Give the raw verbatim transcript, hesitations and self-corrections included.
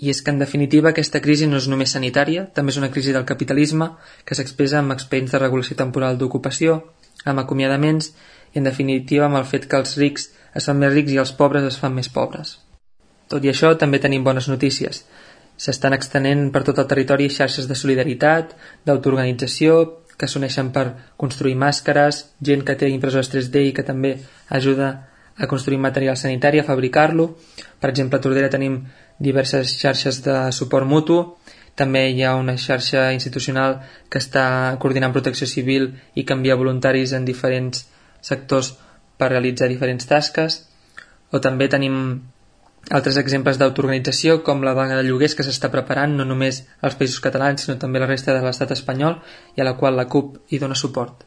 I és que, en definitiva, aquesta crisi no és només sanitària, també és una crisi del capitalisme que s'expressa amb expedients de regulació temporal d'ocupació, amb acomiadaments i, en definitiva, amb el fet que els rics es fan més rics i els pobres es fan més pobres. Tot i això, també tenim bones notícies. S'estan extenent per tot el territori xarxes de solidaritat, d'autoorganització, que s'uneixen per construir màscares, gent que té impressores tres D i que també ajuda a construir material sanitari, a fabricar-lo. Per exemple, a Tordera tenim diverses xarxes de suport mutu, també hi ha una xarxa institucional que està coordinant protecció civil i que envia voluntaris en diferents sectors per realitzar diferents tasques, o també tenim altres exemples d'autoorganització com la vaga de lloguers que s'està preparant no només als països catalans sinó també a la resta de l'estat espanyol i a la qual la CUP hi dona suport.